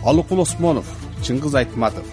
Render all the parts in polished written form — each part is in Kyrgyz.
Алыкул Осмонов, Чыңгыз Айтматов.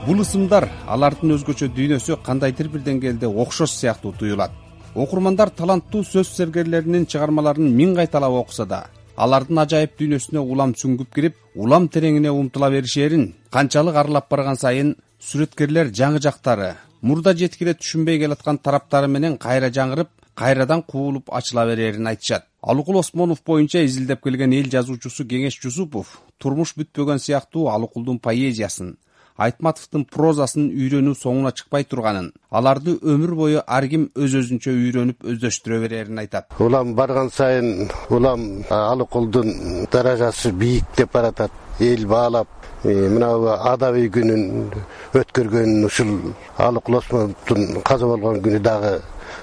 Бул ысымдар алардын өзгөчө дүйнөсү кандайдыр бир деңгээлде окшош сыяктуу туюлат. Окурмандар таланттуу сөз сергерлеринин чыгармаларын миң кайталап окуса да, алардын ажайып дүйнөсүнө улам сүңгүп кирип, улам тереңине умтула беришерин канчалык аралап барган сайын сүрөткерлер жаңы жактары, мурда жеткире түшүнбөй келаткан тараптары менен кайра жаңырып, кайрадан куулуп ачыла берерин айтышат. Алыкул Осмонов боюнча изилдеп келген эл жазуучусу Кеңеш Жусупов турмуш бүтпөгөн сыяктуу Алыкулдун поэзиясын, Айтматовдун прозасын үйрөнүү соңуна чыкпай турганын, аларды өмүр бою ар ким өз-өзүнчө үйрөнүп өздөштүрө берерин айтат. Улам барган сайын улам Алыкулдун даражасы бийик деп баратат. Эл баалап, мына адабий күнүн өткөргөн ушул Алыкул Осмоновдун каза болгон күнү дагы,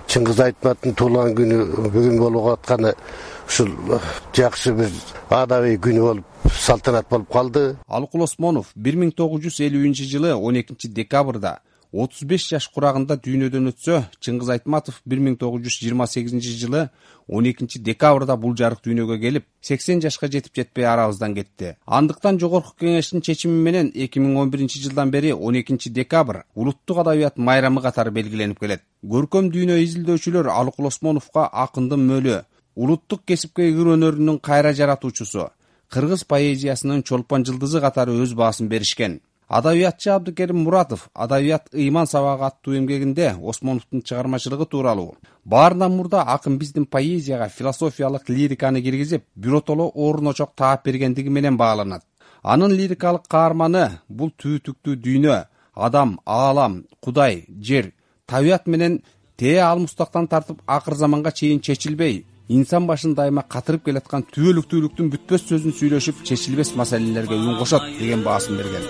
Чыңгыз Айтматовдун туулган күнү бүгүн болуп атканы ушул жакшы бир адабий күнү болуп, салтанат болуп калды. Алыкул Осмонов 1950-жылы 12 декабрда 35 жаш курагында дүйнөдөн өтсө, Чыңгыз Айтматов 1928-жылы 12 декабрда бул жарык дүйнөгө келип, 80 жашка жетип жетпей арабыздан кетти. Андыктан Жогорку Кеңештин чечими менен 2011-жылдан бери 12 декабрь улуттук адабият майрамы катары белгиленип келет. Көркөм дүйнө изилдөөчүлөр Алыкул Осмоновго акындын мөлү, улуттук кесипке ыр өнөрүнүн кайра жаратуучусу, кыргыз поэзиясынын чолпон жылдызы катары өз баасын беришкен. Адабиятчы Абдыкерим Муратов Адабият ыйман сабагы аттуу эмгегинде Осмоновдун чыгармачылыгы тууралуу баарынан мурда акын биздин поэзияга философиялык лириканы киргизип, биротоло орун очок таап бергендиги менен бааланат. Анын лирикалык каарманы бул түтүктүү дүйнө, адам, аалам, Кудай, жер, табият менен тээ алмустактан тартып акыр заманга чейин чечилбей, инсан башын дайыма катырып келаткан түбөлүктүүлүктүн бүтпөс сөзүн сүйлөшүп, чечилбес маселелерге үн кошот деген баасын берген.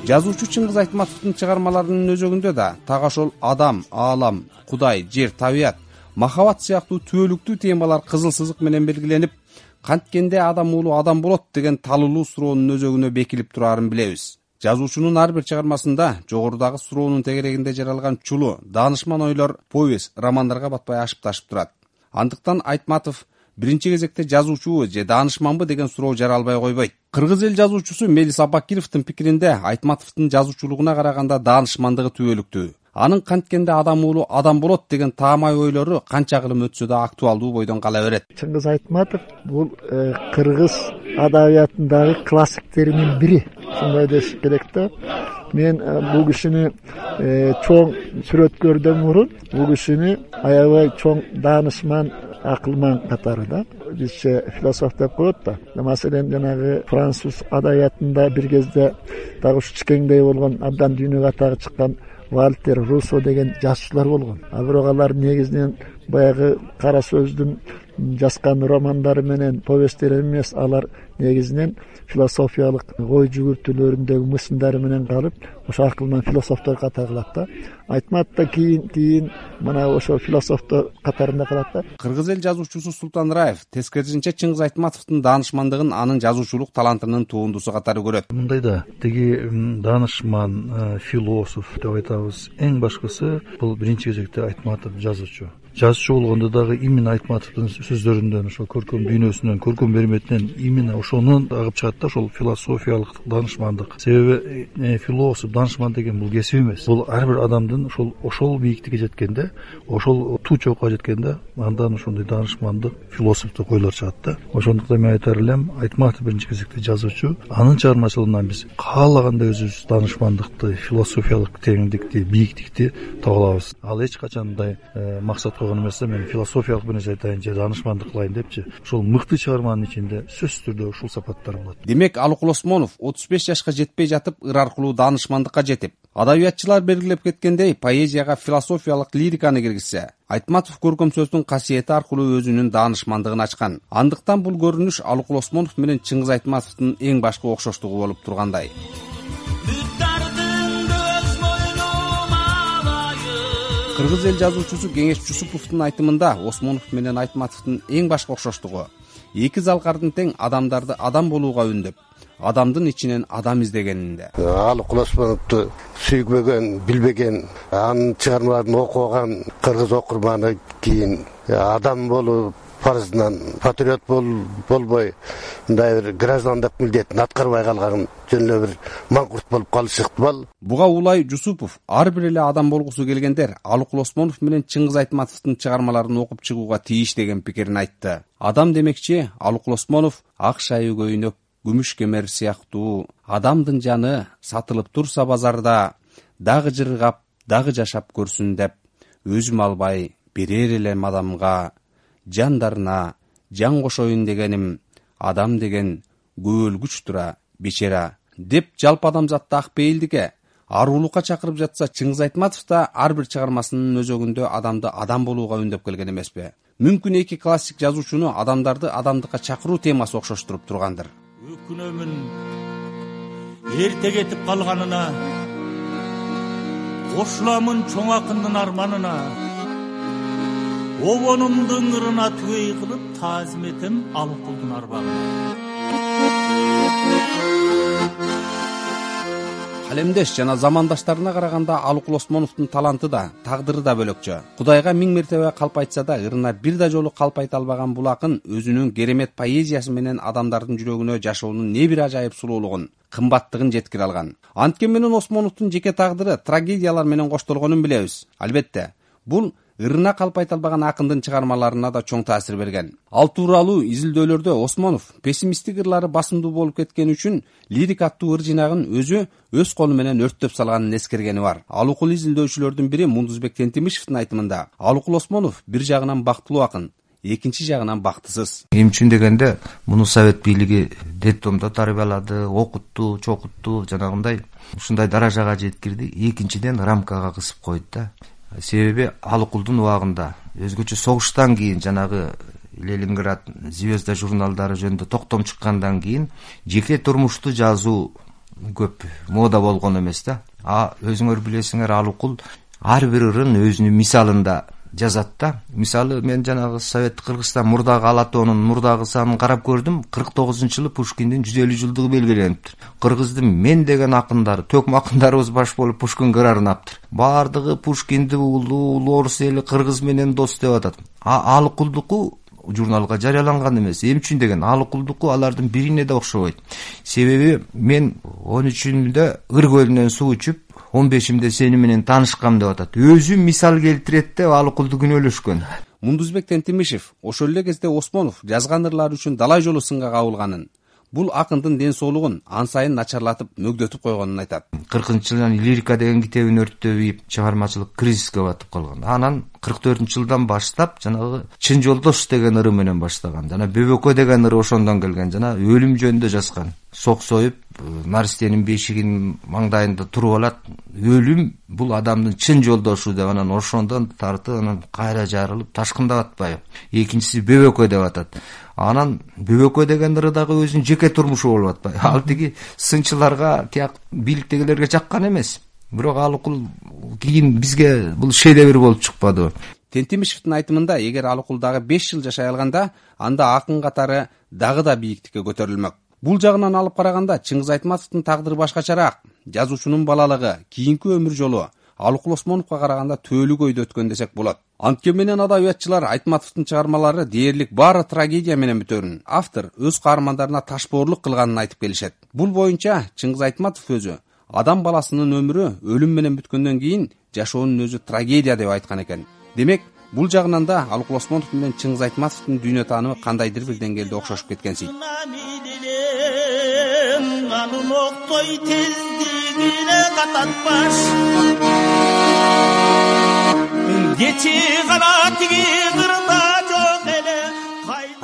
Жазуучу Чыңгыз Айтматовдун чыгармаларынын өзөгүндө да так ошол адам, аалам, Кудай, жер, табият, махабат сыяктуу түбөлүктүү темалар кызыл сызык менен белгиленип, канткенде адам уулу адам болот деген талуулуу суроонун өзөгүнө бекилип турарын билебиз. Жазуучунун ар бир чыгармасында жогорудагы суроонун тегерегинде жаралган чулуу, даанышман ойлор повесть, романдарга батпай ашып-ташып турат. Андыктан Айтматов биринчи кезекте жазуучубу же даанышманбы деген суроо жаралбай койбойт. Кыргыз эл жазуучусу Мелис Абакировдун пикиринде Айтматовдун жазуучулугуна караганда даанышмандыгы түбөлүктүү. Анын канткенде адам уулу адам болот деген таамай ойлору канча кылым өтсө да актуалдуу бойдон кала берет. Чыңгыз Айтматов бул кыргыз адабиятындагы классиктеринин бири, ушундай деш керек да. Мен бул кишини чоң сүрөткөрдөн мурун бул кишини аябай чоң даанышман, акылман катары да. Бизче философ деп коет да. Маселен, жанагы француз адабиятында бир кезде дагы ушу кичкеңдей болгон, абдан дүйнөгө атагы чыккан Вальтер, Руссо деген жазуучулар болгон. Бирок алар негизинен баягы кара сөздүн жазган романдары менен повесттери эмес, алар негизинен философиялык ой жүгүртүүлөрүндөгү мысымдары менен калып, ошо акылман философтор катары калат да. Айтматов да кийин мына ошо философтор катарында калат да. Кыргыз эл жазуучусу Султан Раев тескерисинче Чыңгыз Айтматовдун даанышмандыгын анын жазуучулук талантынын туундусу катары көрөт. Мындай да, тиги даанышман, философ деп айтабыз. Эң башкысы бул биринчи кезекте Айтматов жазуучу. Жазуучу болгондо дагы именно Айтматовдун сөздөрүндөн, ошо көркөм дүйнөсүнөн, көркөм берметинен именно ошонун агып чыгат да, ошол философиялык даанышмандык. Себеби философ, даанышман деген бул кесип эмес. Бул ар бир адамдын ошол бийиктикке жеткенде, ошол туу чокко жеткенде, андан ошондой даанышмандык, философтук ойлор чыгат да. Ошондуктан мен айтар элем, Айтматов биринчи кезекте жазуучу. Анын чыгармачылыгынан биз каалагандай өзүбүз даанышмандыкты, философиялык тереңдикти, бийиктикти таба алабыз. Ал эч качан мындай максат койгон эмес да, мен философиялык бир нерсе айтайын же даанышмандык кылайын депчи. Ошол мыкты чыгарманын ичинде сөзсүз түрдө ушул сапаттар болот. Демек, Алыкул Осмонов 35 жашка жетпей жатып ыр аркылуу даанышмандыкка жетип, адабиятчылар белгилеп кеткендей поэзияга философиялык лириканы киргизсе, Айтматов көркөм сөздүн касиети аркылуу өзүнүн даанышмандыгын ачкан. Андыктан бул көрүнүш Алыкул Осмонов менен Чыңгыз Айтматовдун эң башкы окшоштугу болуп тургандай. Кыргыз эл жазуучусу Кеңеш Жусуповдун айтымында Осмонов менен Айтматовдун эң башкы окшоштугу эки залкардын тең адамдарды адам болууга үндөп, адамдын ичинен адам издегенинде. Алыкул Осмоновду сүйбөгөн, билбеген, анын чыгармаларын окуган кыргыз окурманы кийин адам болуп, парызынан патриот болбой мындай бир граждандык милдетин аткарбай калган жөн эле бир маңкурт болуп калышы ыктымал. Буга Улай Жусупов ар бир эле адам болгусу келгендер Алыкул Осмонов менен Чыңгыз Айтматовдун чыгармаларын окуп чыгууга тийиш деген пикирин айтты. Адам демекчи Алыкул Осмонов ак шайы көйнөк, күмүш кемер сыяктуу адамдын жаны сатылып турса базарда дагы жыргап, дагы жашап көрсүн деп өзүм албай берер элем адамга жандарына жан кошоюн дегеним адам деген көөлгүч тура бечара деп жалпы адамзатты ак пейилдикке аруулукка чакырып жатса, Чыңгыз Айтматов да ар бир чыгармасынын өзөгүндө адамды адам болууга үндөп келген эмеспи? Мүмкүн эки классик жазуучуну адамдарды адамдыкка чакыруу темасы окшоштуруп тургандыр. Өкүнөмүн эрте кетип калганына, кошуламын чоң акындын арманына, обонумдун ырына түгөй кылып таазим этем Алыкулдун арбагына. Калемдеш жана замандаштарына караганда Алыкул Осмоновдун таланты да, тагдыры да бөлөкчө. Кудайга миң мертебе калп айтса да, ырына бир да жолу калп айта албаган бул акын өзүнүн керемет поэзиясы менен адамдардын жүрөгүнө жашоонун не бир ажайып сулуулугун, кымбаттыгын жеткире алган. Анткени менен Осмоновдун жеке тагдыры трагедиялар менен коштолгонун билебиз. Албетте, бул ырына калп айта албаган акындын чыгармаларына да чоң таасир берген. Ал тууралуу изилдөөлөрдө Осмонов пессимисттик ырлары басымдуу болуп кеткени үчүн лирик аттуу ыр жинагын өзү өз колу менен өрттөп салганын эскергени бар. Алыкул изилдөөчүлөрдүн бири Мундузбек Тентимишевдин айтымында Алыкул Осмонов бир жагынан бактылуу акын, экинчи жагынан бактысыз. Эмчүн дегенде муну Совет бийлиги детдомдо тарбиялады, окутту, чокутту, жанагындай ушундай даражага жеткирди. Экинчиден рамкага кысып койду да. Себеби Алыкулдун убагында өзгөчө согуштан кийин жанагы Ленинград Звезда журналдары жөнүндө токтом чыккандан кийин жеке турмушту жазуу көп мода болгон эмес да. Өзүңөр билесиңер, Алыкул ар бир ырын өзүнүн мисалында жазат да. Мисалы, мен жанагы Совет Кыргызстан мурдагы ала тоонун мурдагы санын карап көрдүм. 49-жылы Пушкиндин 150 жылдыгы белгилениптир. Кыргыздын мен деген акындары, төкм акындарыбыз баш болуп Пушкинге арнаптыр. Бардыгы Пушкинди улуу орус эли кыргыз менен дос деп атат. Алыкулдуку журналга жарыяланган эмес. Эмчүн деген Алыкулдуку алардын бирине да окшобойт. Себеби мен 13-үндө Ыр көлүнөн суу ичип, 15-имде сени менен таанышкам деп атат. Өзү мисал келтирет деп Алыкулду күнөөлөшкөн. Мундузбек Тентимишев ошол эле кезде Осмонов жазган ырлары үчүн далай жолу сынга кабылганын, бул акындын ден соолугун ан сайын начарлатып, мөгдөтүп койгонун айтат. 40-жылдан лирика деген китебин өрттөп ийип, чыгармачылык кризиске батып калган. Анан 44-жылдан баштап жанагы Чын жолдош деген ыры менен баштаган. Жана Бөбөкө деген ыры ошондон келген. Жана өлүм жөнүндө жазган. Соксоюп, Наристенин бешигинин маңдайында туруп алат. Өлүм бул адамдын чын жолдошу деп, анан ошондон тартып, анан кайра жарылып, ташкындап атпайбы. Экинчиси Бөбөкө деп атат. Анан Бөбөкө деген ыры дагы өзүнүн жеке турмушу болуп атпайбы. Ал тиги сынчыларга, тияк бийликтегилерге жаккан эмес. Бирок Алыкул кийин бизге бул шедевр болуп чыкпады. Тентимишевдин айтымында, эгер Алыкул дагы 5 жыл жашай алганда, анда акын катары дагы да бийиктикке көтөрүлмөк. Бул жагынан алып караганда Чыңгыз Айтматовдун тагдыры башкачараак. Жазуучунун балалыгы, кийинки өмүр жолу Алыкул Осмоновго караганда төөлүү көйдө өткөн десек болот. Анткени менен адабиятчылар Айтматовдун чыгармалары дээрлик баары трагедия менен бүтөрүн. Автор өз каармандарына ташпоорлук кылганын айтып келишет. Бул боюнча Чыңгыз Айтматов өзү адам баласынын өмүрү өлүм менен бүткөндөн кийин жашоонун өзү трагедия деп айткан экен. Демек, бул жагынан да Алыкул Осмонов менен Чыңгыз Айтматовдун дүйнө таанымы кандайдыр бир деңгээлде окшошуп кеткенсиз.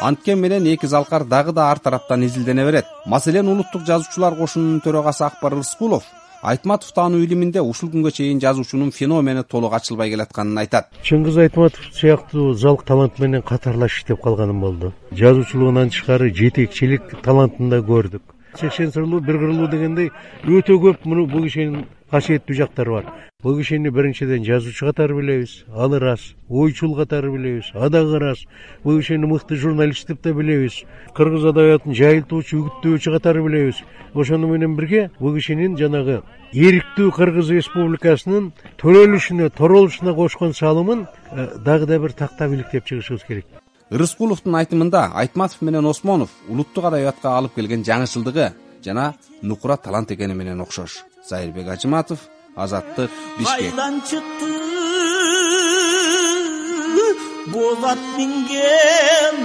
Анткени менен эки залкар дагы да ар тараптан изилдене берет. Маселен, Улуттук жазуучулар кошунунун төрагасы Акбар Рыскулов Айтматов таануу илиминде ушул күнгө чейин жазуучунун феномени толук ачылбай келатканын айтат. Чыңгыз Айтматов сыяктуу залк талант менен катарлаш иштеп калганым болду. Жазуучулугунан тышкары жетекчилик талантын да көрдүк. 80 сырлуу, бир кырлуу дегендей өтө көп бул кишинин касиеттүү жактары бар. Бул кишини биринчиден жазуучу катары билебиз, ал ырас. Ойчул катары билебиз, адагы ырас. Бул кишини мыкты журналист деп да билебиз. Кыргыз адабиятын жайылтуучу, үгүттөөчү катары билебиз. Ошону менен бирге бул кишинин жанагы эриктүү Кыргыз Республикасынын төрөлүшүнө, торолушуна кошкон салымын дагы да бир тактап иликтеп чыгышыбыз керек. Рыскуловдун айтымында Айтматов менен Осмонов улуттук адабиятка алып келген жаңычылдыгы жана нукура талант экени менен окшош. Зайырбек Ажыматов, Азаттык, Бишкек. Кайдан чыкты болат минген